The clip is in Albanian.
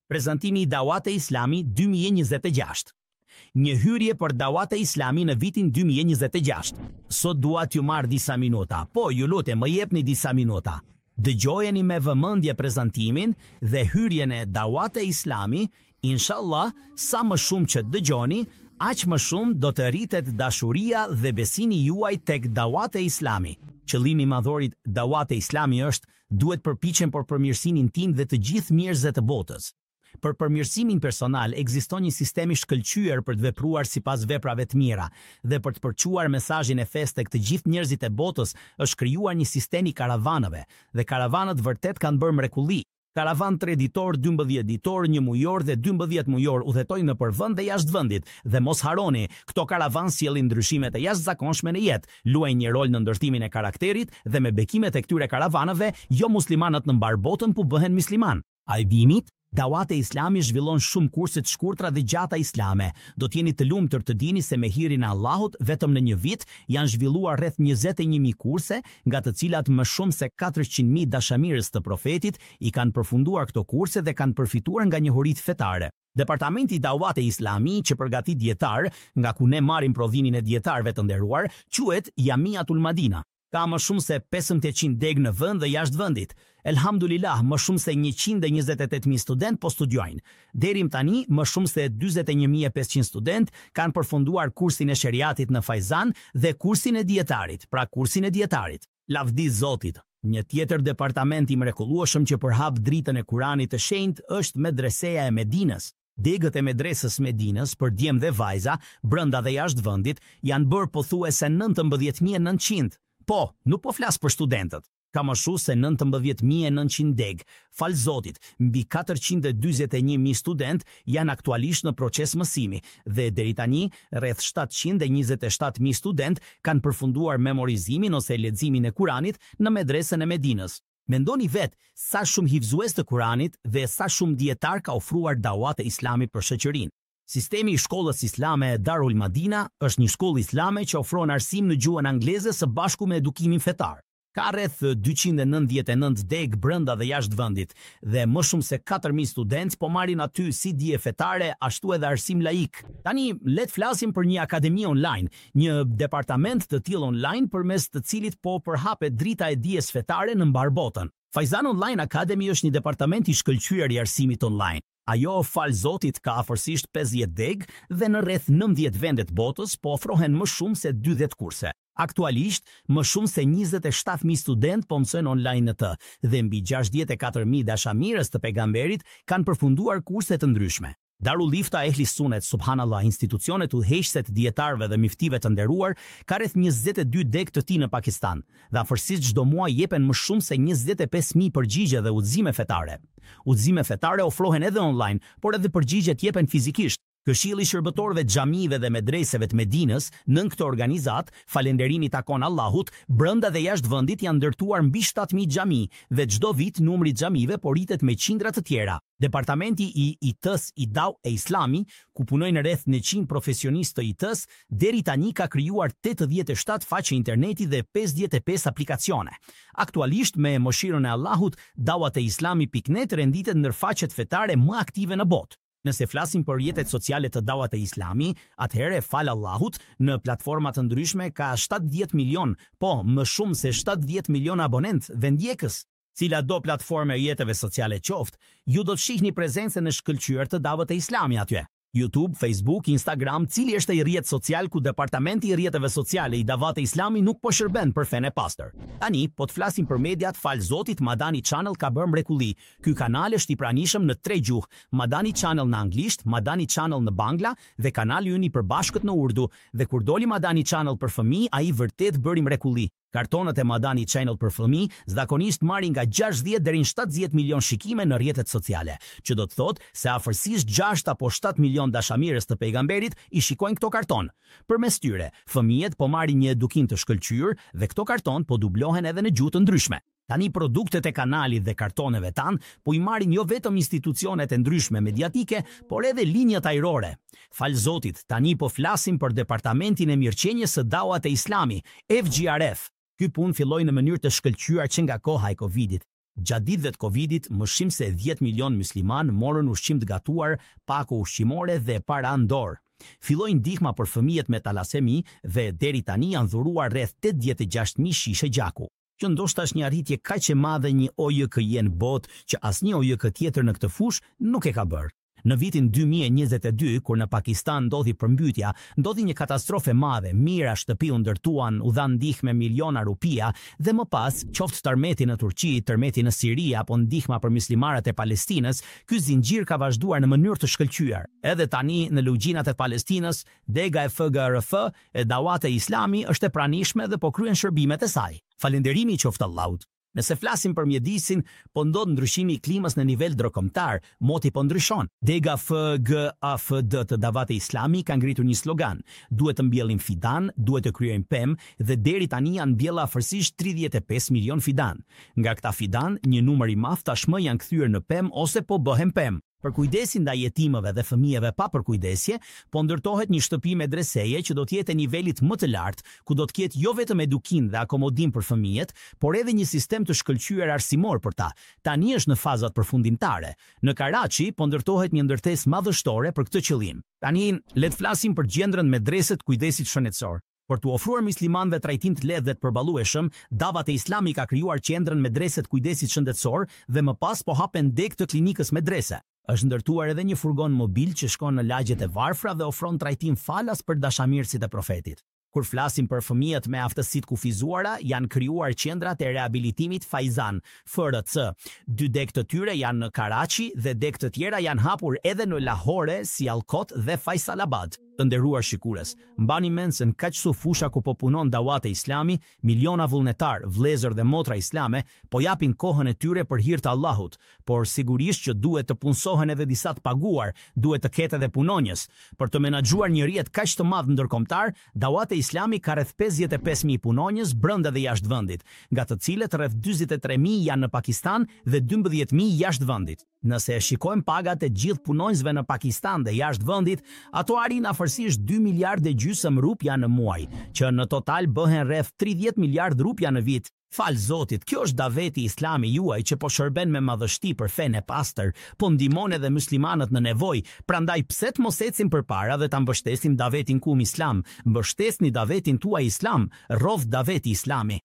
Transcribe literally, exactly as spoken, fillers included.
Prezantimi i Dawat e Islami dy mijë e njëzet e gjashtë. Një hyrje për Dawat e Islami në vitin dy mijë e njëzet e gjashtë. Sot dua t'ju marr disa minuta. Po, ju lutem, më jepni disa minuta. Dëgjojeni me vëmendje prezantimin dhe hyrjen e Dawat e Islami. Inshallah, sa më shumë që dëgjoni, aq më shumë do të rritet dashuria dhe besimi juaj tek Dawat e Islami. Qëllimi madhor i Dawat e Islami është duhet përpiqem për përmirësimin tim dhe të gjithë njerëzve të botës. Për përmirësimin personal ekziston një sistem i shkëlqyer për të vepruar sipas veprave të mira dhe për të përçuar mesazhin e fesë tek të gjithë njerëzit e botës është krijuar një sistem i karavanëve dhe karavanët vërtet kanë bërë mrekulli. Karavan tre ditor, dymbëdhjetë ditor, një mujor dhe dymbëdhjetë mujor udhëtojnë nëpër vend dhe jashtë vendit dhe mos harroni, këto karavan sjellin ndryshime të jashtëzakonshme në jetë, luajnë një rol në ndërtimin e karakterit dhe me bekimet e këtyre karavanëve, jo muslimanët në mbar botën po bëhen musliman. A e dinit? Dawat e Islami zhvillon shumë kurse të shkurtra dhe gjata islame. Do t'jeni të lumtur të dini se me hirin e Allahut vetëm në një vit janë zhvilluar rreth njëzet e një mijë kurse, nga të cilat më shumë se katërqind mijë dashamirës të profetit i kanë përfunduar këto kurse dhe kanë përfituar nga njohuritë fetare. Departamenti i Dawat e Islami që përgatit dietar, nga ku ne marrim prodhimin e dietarëve të nderuar, quhet Jamiatul Madina. Ka më shumë se pesëqind degë në vend dhe jashtë vendit. Elhamdulillah, më shumë se njëqind e njëzet e tetë mijë student po studiojnë. Deri më tani, më shumë se dyzet e një mijë e pesëqind student kanë përfunduar kursin e sheriatit në Fajzan dhe kursin e dietarit, pra kursin e dietarit. Lavdi Zotit! Një tjetër departament i mrekullueshëm që përhap dritën e Kuranit të Shenjtë është Medreseja e Medinës. Degët e medresës Medinës për djem dhe vajza, brenda dhe jashtë vendit, janë bërë pothuajse nëntëmbëdhjetë mijë e nëntëqind. Po, nuk po flas për studentët. Ka më shumë se nëntëmbëdhjetë mijë e nëntëqind degë. Fal Zotit, mbi katërqind e dyzet e një mijë student janë aktualisht në proces mësimi dhe deri tani rreth shtatëqind e njëzet e shtatë mijë student kanë përfunduar memorizimin ose leximin e Kuranit në medresën e Medinës. Mendoni vetë sa shumë hifzues të Kuranit dhe sa shumë dietar ka ofruar Dawat e Islamit për shoqërinë. Sistemi i shkollës islame Darul Madina është një shkollë islame që ofron arsim në gjuhën angleze së bashku me edukimin fetar. Ka rreth dyqind e nëntëdhjetë e nëntë degë brenda dhe jashtë vendit dhe më shumë se katër mijë studentë po marrin aty si dije fetare ashtu edhe arsim laik. Tani le të flasim për një akademi online, një departament të tillë online përmes të cilit po përhapet drita e dijes fetare në mbar botën. Faizan Online Academy është një departament i shkëlqyer i arsimit online. Ajo, fal Zotit, ka afërsisht pesëdhjetë degë dhe në rreth nëntëdhjetë vende të botës po ofrohen më shumë se dyzet kurse. Aktualisht, më shumë se njëzet e shtatë mijë student po mësojnë online në të dhe mbi gjashtëdhjetë e katër mijë dashamirës të pejgamberit kanë përfunduar kurse të ndryshme. Darul Ifta Ehli Sunet, subhanallah, institucionet udhëheqëse të dietarëve dhe miftive të nderuar, ka rreth njëzet e dy degë të tij në Pakistan dhe afërsisht çdo muaj jepen më shumë se njëzet e pesë mijë përgjigje dhe udhëzime fetare. Udhëzime fetare ofrohen edhe online, por edhe përgjigjet jepen fizikisht. Këshilli i Shërbëtorëve të Xhamive dhe Medreseve të Medinës, nën këtë organizat, falënderimi takon Allahut, brenda dhe jashtë vendit janë ndërtuar mbi shtatë mijë xhami dhe çdo vit numri i xhamive po rritet me qindra të tjera. Departamenti i I T-s i Dawat e Islami, ku punojnë rreth njëqind profesionistë të I T-s, deri tani ka krijuar tetëdhjetë e shtatë faqe interneti dhe pesëdhjetë e pesë aplikacione. Aktualisht, me mëshirën e Allahut, dawat e islami pikë net renditet ndër faqet fetare më aktive në botë. Nëse flasim për rrjetet sociale të Dawat e Islami, atëherë, fal Allahut, në platforma të ndryshme ka shtatëdhjetë milion, po, më shumë se shtatëdhjetë milion abonent dhe ndjekës. Cila do platformë e rrjeteve sociale qoftë, ju do të shihni prezencën e shkëlqyer të Dawat e Islami aty. YouTube, Facebook, Instagram, cili është ai rrjet social ku departamenti i rrjeteve sociale i Dawat e Islami nuk po shërben për fenë e pastër? Tani, po të flasim për mediat, fal Zotit, Madani Channel ka bërë mrekulli. Ky kanal është i pranishëm në tre gjuhë: Madani Channel në anglisht, Madani Channel në Bangla dhe kanali ynë i përbashkët në Urdu. Dhe kur doli Madani Channel për fëmijë, ai vërtet bëri mrekulli. Kartonët e Madani Channel për fëmijë zakonisht marrin nga gjashtëdhjetë deri në shtatëdhjetë milion shikime në rrjetet sociale, që do të thotë se afërsisht gjashtë apo shtatë milion dashamirës të pejgamberit i shikojnë këto karton. Përmes tyre, fëmijët po marrin një edukim të shkëlqyer dhe këto karton po dublohen edhe në gjuhë të ndryshme. Tani produktet e kanalit dhe kartoneve tanë po i marrin jo vetëm institucionet e ndryshme mediatike, por edhe linjat ajrore. Fal Zotit, tani po flasim për Departamentin e Mirëqenies së Dawat e Islami, F G R F. Ky punë filloi në mënyrë të shkëlqyer që nga koha e Covidit. Gjatë ditëve të Covidit, më shumë se dhjetë milion musliman morën ushqim të gatuar, pako ushqimore dhe para në dorë. Filloi ndihma për fëmijët me talasemi dhe deri tani janë dhuruar rreth tetëdhjetë e gjashtë mijë shishe gjaku. Që ndoshta është një arritje kaq e madhe një O J K-je në botë që asnjë O J K tjetër në këtë fushë nuk e ka bërë. Në vitin dy mijë e njëzet e dy, kur në Pakistan ndodhi përmbytja, ndodhi një katastrofë e madhe, mijëra shtëpi u ndërtuan, u dhan ndihmë miliona rupia dhe më pas, qoftë tërmeti në Turqi, tërmeti në Siri apo ndihma për muslimanët e Palestinës, ky zinxhir ka vazhduar në mënyrë të shkëlqyer. Edhe tani në lugjinat e Palestinës, dega e F G R F e Dawat e Islami është e pranishme dhe po kryen shërbimet e saj. Falënderimi i qoftë Allahut. Nëse flasim për mjedisin, po ndodh ndryshimi i klimës në nivel ndërkombëtar, moti po ndryshon. Dega F G A F D të Dawat e Islami ka ngritur një slogan: duhet të mbjellim fidan, duhet të krijojmë pemë dhe deri tani janë mbjella afërsisht tridhjetë e pesë milion fidan. Nga këta fidan, një numër i madh tashmë janë kthyer në pemë ose po bëhen pemë. Për kujdesin ndaj jetimëve dhe fëmijëve pa përkujdesje, po ndërtohet një shtëpi medreseje që do të jetë e nivelit më të lartë, ku do të ketë jo vetëm edukim dhe akomodim për fëmijët, por edhe një sistem të shkëlqyer arsimor për ta. Tani është në fazat përfundimtare. Në Karachi po ndërtohet një ndërtesë madhështore për këtë qëllim. Tani le të flasim për gjendrën medrese të kujdesit shëndetësor. Për t'u ofruar muslimanëve trajtim të lehtë dhe të përballueshëm, Dawat e Islami ka krijuar qendrën medrese të kujdesit shëndetësor dhe më pas po hapen degë të klinikës medrese. Është ndërtuar edhe një furgon mobil që shkon në lagjet e varfra dhe ofron trajtim falas për dashamirësit e profetit. Kur flasim për fëmijët me aftësi të kufizuara, janë krijuar qendrat e rehabilitimit Faizan, F R C. Dy degë të tyre janë në Karachi dhe degë të tjera janë hapur edhe në Lahore, Sialkot dhe Faisalabad. Të nderuar shikues, mbani mend se në kaq su fusha ku po punon Dawat e Islami, miliona vullnetar, vëllezër dhe motra islame po japin kohën e tyre për hir të Allahut, por sigurisht që duhet të punësohen edhe disa të paguar, duhet të ketë edhe punonjës. Për të menaxhuar një rrjet kaq të madh ndërkombëtar, Dawat e Islami ka rreth pesëdhjetë e pesë mijë punonjës brenda dhe jashtë vendit, nga të cilët rreth dyzet e tre mijë janë në Pakistan dhe dymbëdhjetë mijë jashtë vendit. Nëse e shikojmë pagat e gjithë punonjësve në Pakistan dhe jashtë vendit, ato arrin afërsisht dy miliardë e gjysmë rupia në muaj, që në total bëhen rreth tridhjetë miliardë rupia në vit. Fal Zotit, kjo është daveti islami juaj që po shërben me madhështi për fenë e pastër, po ndihmon edhe muslimanët në nevojë, prandaj pse të mos ecim përpara dhe ta mbështesim davetin kum islam, mbështesni davetin tuaj islam, rroft daveti islami.